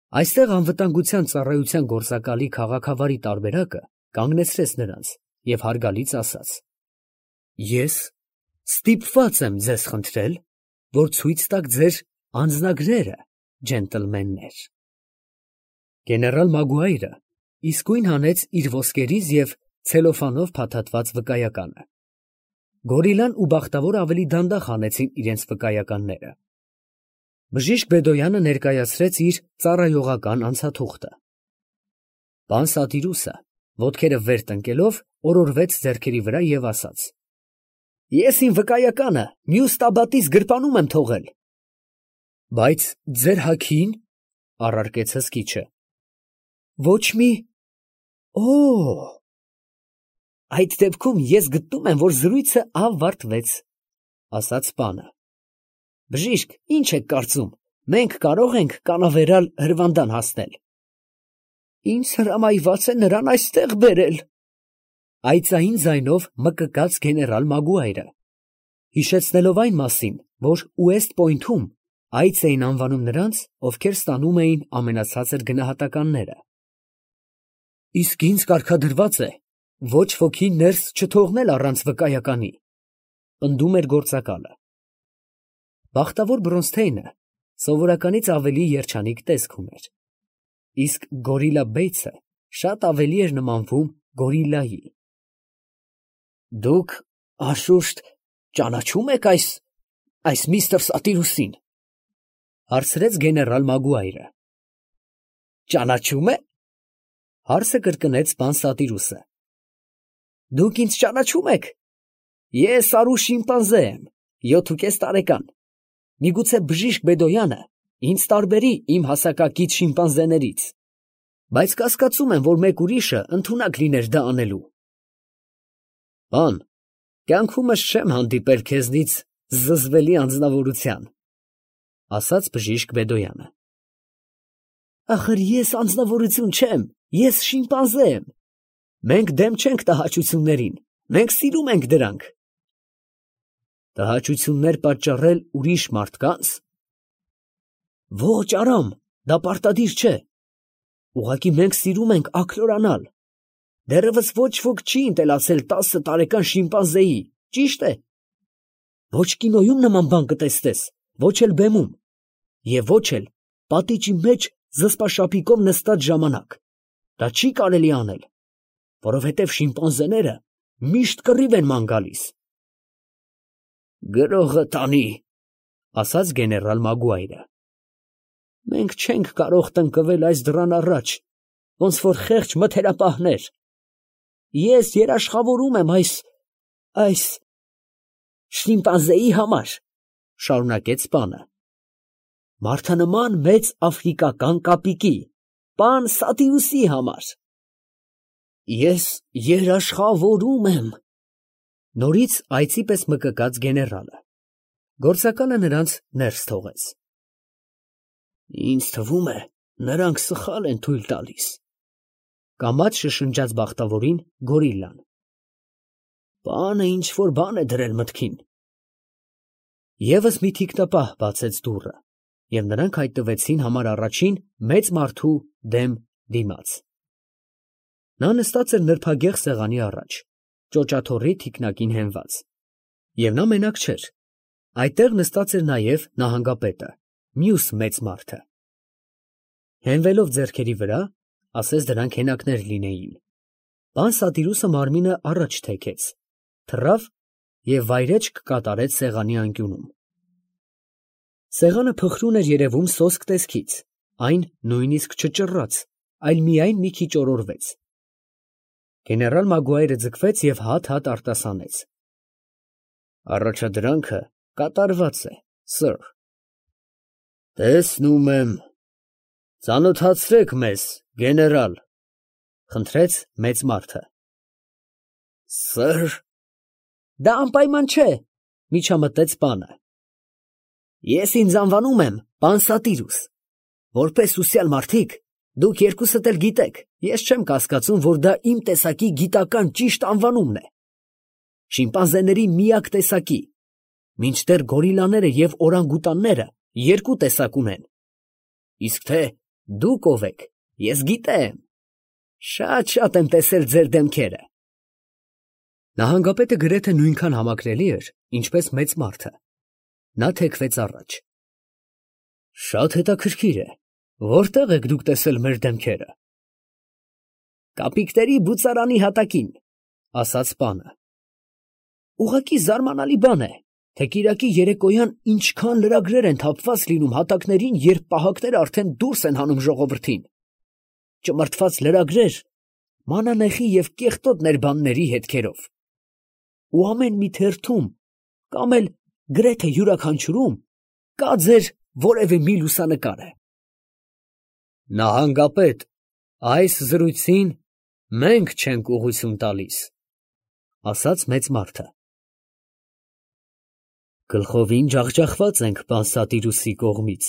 Այստեղ անվտանգության ծառայության գործակալի քաղաքավարի տարբերակը կանգնեցրեց նրանց և հարգալից ասաց. «Ես ստիպված եմ ձեզ խնդրել, որ ցույց տաք ձեր անձնագրերը, ջենտլմեններ»։ Գեներալ Մագուայրը իսկույն հանեց իր ոսկերից և ցելոֆանով փաթաթված վկայականը։ Գորիլան ու Բախտավորը ավելի դանդաղ հանեցին իրենց վկայականները։ Բժիշկ Բեդոյանը ներկայացրեց իր ծառայողական անցաթուղթը։ Պան Սատիրուսը, ոտքերը վեր տնկելով, օրորվեց ձեռքերի վրա և ասաց. «Ես իմ վկայականը մյուս տաբատիս գրպանում եմ թողել»։ «Բայց ձեր հագին, ֊ առարկեց հսկիչը, ֊ ոչ մի… Օ՜… Այդ դեպքում ես գտնում եմ, որ զրույցը ավարտվեց, ֊ ասաց պանը։ Բժիշկ, ի՞նչ եք կարծում, մենք կարո՞ղ ենք կանավերալ հրվանդան հասնել։ Ինձ հրամայված է նրան այստեղ բերել, ֊ այծային ձայնով մկկաց գեներալ Մագուայրը, հիշեցնելով այն մասին, որ Ուեստ Պոյնթում այծ էին անվանում նրանց, ովքեր ստանում էին ամենացածր գնահատականները։ Իսկ ինձ կարգադրված է ոչ ոքի ներս չթողնել առանց վկայականի, ֊ պնդում էր գործակալը։ Բախտավոր Բրոնսթեյնը սովորականից ավելի երջանիկ տեսք ուներ, իսկ Գորիլա Բեյցը շատ ավելի էր նմանվում գորիլայի։ Դուք անշուշտ ճանաչում եք այս միստր Սատիրուսին, ֊ հարցրեց գեներալ Մագուայրը։ Ճանաչում է, ֊ հարցը կրկնեց պան Սատիրուսը։ Դուք ինձ ճանաչում եք։ Ես արու շիմպանզե եմ, 7.5 տարեկան։ Միգուցե բժիշկ Բեդոյանը ինձ տարբերի իմ հասակակից շիմպանզեներից, բայց կասկածում եմ, որ մեկ ուրիշը ընդունակ լիներ դա անելու։ Պան, կյանքումս չեմ հանդիպել քեզնից զզվելի անձնավորության, ֊ ասաց բժիշկ Բեդոյանը։ Ախր ես անձնավորություն չեմ, ես շիմպանզե եմ։ Մենք դեմ չենք տհաճություններին, մենք սիրում ենք դրանք։ Տհաճություններ պատճառել ուրիշ մարդկանց։ Ոչ, Արամ, դա պարտադիր չէ։ Ուղղակի մենք սիրում ենք աքլորանալ։ Դեռևս ոչ ոք չի ընտելացել 10 տարեկան շիմպանզեի, ճիշտ է։ Ոչ կինոյում նման բան կտեսնես, ոչ էլ բեմում, և ոչ էլ պատիճի մեջ զսպաշապիկով նստած ժամանակ։ Դա չի կարելի անել, որովհետև շիմպանզեները միշտ կռիվ են ման գալիս։ Գրողը տանի, ֊ ասաց գեներալ Մագուայրը։ Մենք չենք կարող տնկվել այս դռան առաջ, ոնց որ խեղճ մթերապահներ։ Ես երաշխավորում եմ այս շիմպանզեի համար, ֊ շարունակեց պանը։ Մարդանման մեծ աֆրիկական կապիկի, պան Սատիրուսի համար։ Ես երաշխավորում եմ, ֊ նորից այծի պես մկկաց գեներալը։ Գործակալը նրանց ներս թողեց։ Ինձ թվում է, նրանք սխալ են թույլ տալիս, ֊ կամաց շշնջաց Բախտավորին գորիլլան։ Պանը ինչ֊որ բան է դրել մտքին։ Եվս մի թիկնապահ բացեց դուռը, և նրանք հայտնվեցին համար առաջին մեծ մարդու դեմ դիմաց։ Նա նստած էր նրբագեղ սեղանի առաջ, ճոճաթոռի թիկնակին հենված, և նա մենակ չէր, այդտեղ նստած էր նաև նահանգապետը, մյուս մեծ մարդը։ Հենվելով ձեռքերի վրա, ասես դրանք հենակներ լինեին, պան Սատիրուսը մարմինը առաջ թեքեց, թռավ և վայրէջք կատարեց սեղանի անկյունում։ Սեղանը փխրուն էր երևում սոսկ տեսքից, այն նույնիսկ չճռաց, այլ միայն մի քիչ օրորվեց։ Գեներալ Մագուայրը ձգվեց և հատ-հատ արտասանեց. Առաջադրանքը կատարված է, սըր։ Տեսնում եմ, ծանոթացրեք մեզ, գեներալ, ֊ խնդրեց մեծ մարդը։ Սըր։ Դա անպայման չէ, ֊ միջամտեց պանը։ Ես ինձ անվանում եմ պան Սատիրուս։ Որպես ուսյալ մարդիկ, դուք երկուսդ էլ գիտեք, ես չեմ կասկածում, որ դա իմ տեսակի գիտական ճիշտ անվանումն է։ Շիմպանզեների միակ տեսակի, մինչդեռ գորիլաները և օրանգուտանները երկու տեսակ ունեն։ Իսկ թե Դուք ով եք, ես գիտեմ, շատ եմ տեսել ձեր դեմքերը։ Նահանգապետը գրեթե նույնքան համակրելի էր, ինչպես մեծ մարդը։ Նա թեքվեց առաջ։ Շատ հետաքրքիր է, որտեղ եք դուք տեսել մեր դեմքերը։ Կապիկների բուծարանի հատակին, ասաց պանը։ Ուղղակի զարմանալի բան է, թե կիրակի երեկոյան ինչքան լրագրեր են թափված լինում հատակներին, երբ պահակները արդեն դուրս են հանում ժողովրդին։ Ճմրթված լրագրեր, մանանեխի և կեղտոտ ներբանների հետքերով։ Ու ամեն մի թերթում, կամ էլ գրեթե յուրաքանչյուրում, կա ձեր որևէ մի լուսանկարը։ Նահանգապետ, այս զրույցին մենք չենք ուղղություն տալիս, ասաց մեծ մարդը։ Գլխովին ջախջախված ենք պան Սատիրուսի կողմից,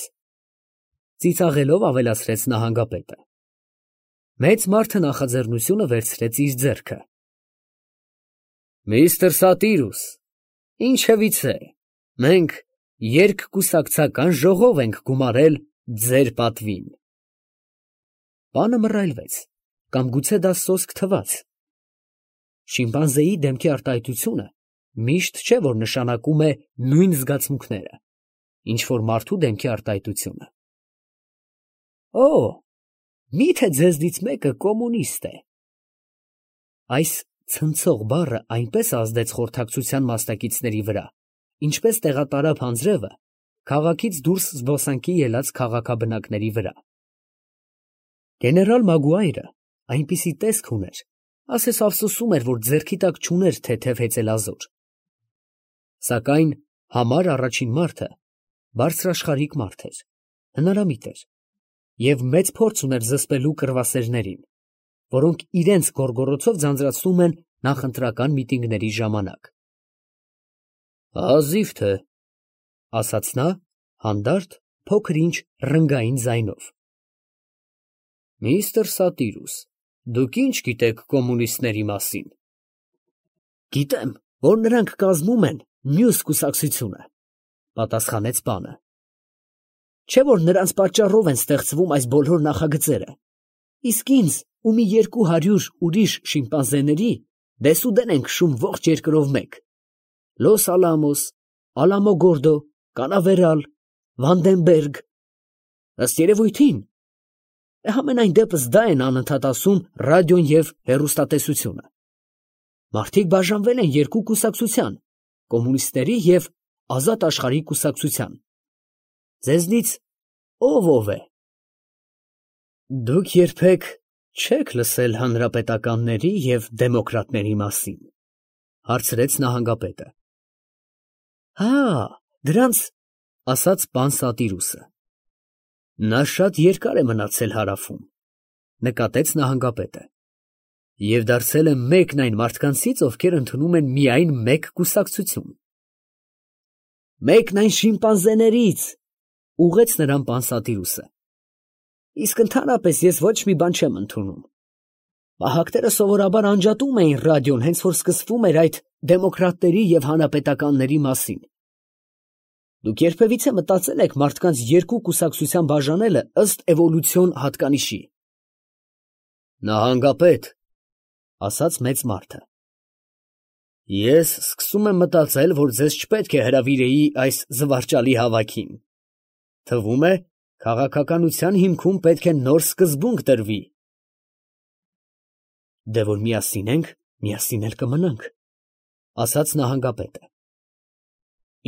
ծիծաղելով ավելացրեց նահանգապետը։ Մեծ մարդը նախաձեռնությունը վերցրեց իր ձեռքը։ Միստր Սատիրուս, ինչևից է, մենք երկկուսակցական ժողով ենք գումարել ձեր պատվին։ Պանը մռայլվեց, կամ գուցե դա սոսկ թվաց։ Շիմպանզեի դեմքի արտահայտությունը միշտ չէ, որ նշանակում է նույն զգացմունքները, ինչ որ մարդու դեմքի արտահայտությունը։ Օ, միթե ձեզնից մեկը կոմունիստ է։ Այս ցնցող բառը այնպես ազդեց խորհրդակցության մասնակիցների վրա, ինչպես տեղատարափ անձրևը քաղաքից դուրս զբոսանքի ելած քաղաքաբնակների վրա։ Գեներալ Մագուայրը այնպիսի տեսք ուներ, ասես ափսոսում էր, որ ձեռքի տակ չուներ թեթև հեծելազոր։ Սակայն համար առաջին մարդը բարձրաշխարհիկ մարդ էր, հնարամիտ էր, և մեծ փորձ ուներ զսպելու կռվասերներին, որոնք իրենց գոռգոռոցով ձանձրացնում են նախընտրական միտինգների ժամանակ։ Հազիվ թե, ասաց նա, հանդարտ, փոքր-ինչ ռնգային ձայնով։ Միստր Սատիրուս, դուք ինչ գիտեք կոմունիստների մասին։ Գիտեմ, որ նրանք կազմում են մյուս կուսակցությունը, պատասխանեց պանը։ Չէ՞ որ նրանց պատճառով են ստեղծվում այս բոլոր նախագծերը, իսկ ինձ ու մի 200 ուրիշ շիմպանզեների դեսուդեն են քշում ողջ երկրով մեկ. Լոս Ալամոս, Ալամոգորդո, Կանավերալ, Վանդենբերգ, ըստ երևույթին, համենայն դեպս դա են անընդհատ ասում ռադիոն և հեռուստատեսությունը։ Մարդիկ բաժանվել են երկու կուսակցության, կոմունիստների և ազատ աշխարհի կուսակցության։ Ձեզնից ով է։ Դուք երբեք չեք լսել հանրապետականների և դեմոկրատների մասին, հարցրեց նահանգապետը։ Հա, դրանց, ասաց պան Սատիրուսը։ Նա շատ երկար է մնացել հարավում, նկատեց նահանգապետը, և դարձել է մեկն այն մարդկանցից, ովքեր ընդունում են միայն մեկ կուսակցություն։ Մեկն այն շիմպանզեներից, ուղղեց նրան պան Սատիրուսը։ Իսկ ընդհանրապես ես ոչ մի բան չեմ ընդունում։ Պահակները սովորաբար անջատում էին ռադիոն, հենց որ սկսվում էր այդ դեմոկրատների և հանրապետականների մասին։ Դուք երբևիցե մտածել եք մարդկանց երկու կուսակցության բաժանելը ըստ էվոլյուցիոն հատկանիշի։ Նահանգապետ, ասաց մեծ մարդը, ես սկսում եմ մտածել, որ ձեզ չպետք է հրավիրեի այս զվարճալի հավաքին։ Թվում է, քաղաքականության հիմքում պետք է նոր սկզբունք դրվի։ Դե որ միասին ենք, միասին էլ կմնանք, ասաց նահանգապետը։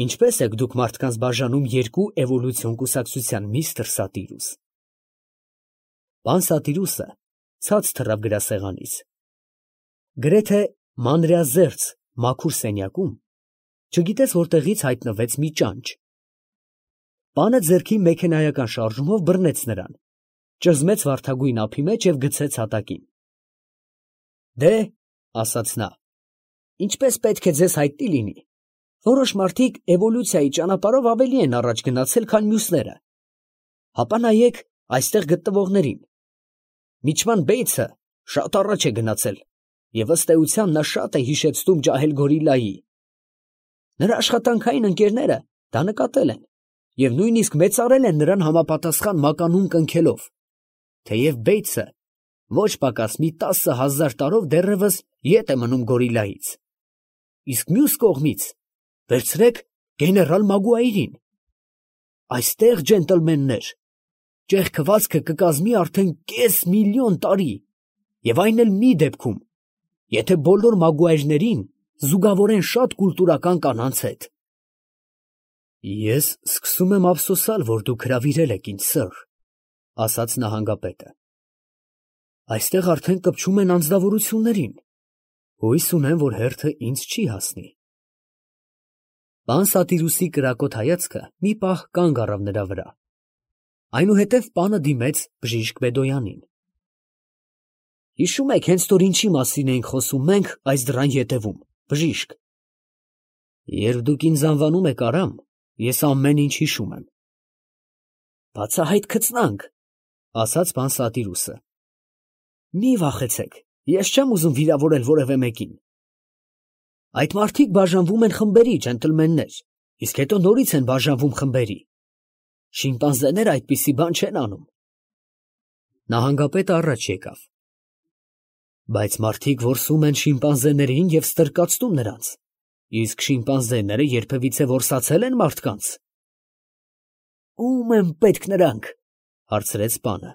Ինչպես եք դուք մարդկանց բաժանում երկու էվոլյուցիոն կուսակցության, միստր Սատիրուս։ Պան Սատիրուսը ցած թռավ գրասեղանից։ Գրեթե մանրեազերծ մաքուր սենյակում չգիտես որտեղից հայտնվեց մի ճանճ։ Պանը ձեռքի մեքենայական շարժումով բռնեց նրան, ճզմեց վարդագույն ափի մեջ և գցեց հատակին։ Դե, ասաց նա, ինչպես պետք է ձեզ հայտնի լինի, որոշ մարդիկ էվոլյուցիայի ճանապարհով ավելի են առաջ գնացել, քան մյուսները։ Հապա նայեք այստեղ գտնվողներին։ Միչման Բեյցը շատ առաջ է գնացել, և ըստ էության նա շատ է հիշեցնում ջահել գորիլայի։ Նրա աշխատանքային ընկերները դա նկատել են և նույնիսկ մեծարել են նրան համապատասխան մականուն կնքելով, թեև Բեյցը ոչ պակաս մի 10,000 տարով դեռևս ետ է մնում գորիլայից։ Իսկ մյուս կողմից վերցրեք գեներալ Մագուայրին։ Այստեղ, ջենտլմեններ, ճեղքվածքը կկազմի արդեն կես միլիոն տարի, և այն էլ մի դեպքում, եթե բոլոր Մագուայրներին զուգավորեն շատ կուլտուրական կանանց հետ։ Ես սկսում եմ ափսոսալ, որ դուք հրավիրել եք ինձ, սըր, ասաց նահանգապետը։ Այստեղ արդեն կպչում են անձնավորություններին։ Հույս ունեմ, որ հերթը ինձ չի հասնի։ Պան Սատիրուսի կրակոտ հայացքը մի պահ կանգ առավ նրա վրա։ Այնուհետև պանը դիմեց բժիշկ Բեդոյանին։ Հիշում եք, հենց որ ինչի մասին էինք խոսում մենք այս դռան ետևում, բժիշկ։ Երբ դուք ինձ անվանում եք Արամ, ես ամեն ինչ հիշում եմ։ Բացահայտ քծնանք, ասաց պան Սատիրուսը։ Մի վախեցեք, ես չեմ ուզում վիրավորել որևէ մեկին։ Այդ մարդիկ բաժանվում են խմբերի, ջենտլմեններ, իսկ հետո նորից են բաժանվում խմբերի։ Շիմպանզեները այդպիսի բան չեն անում։ Նահանգապետը առաջ եկավ։ Բայց մարդիկ որսում են շիմպանզեներին և ստրկացնում նրանց, իսկ շիմպանզեները երբևիցե որսացել են մարդկանց։ Ո՞ւմ են պետք նրանք, հարցրեց պանը։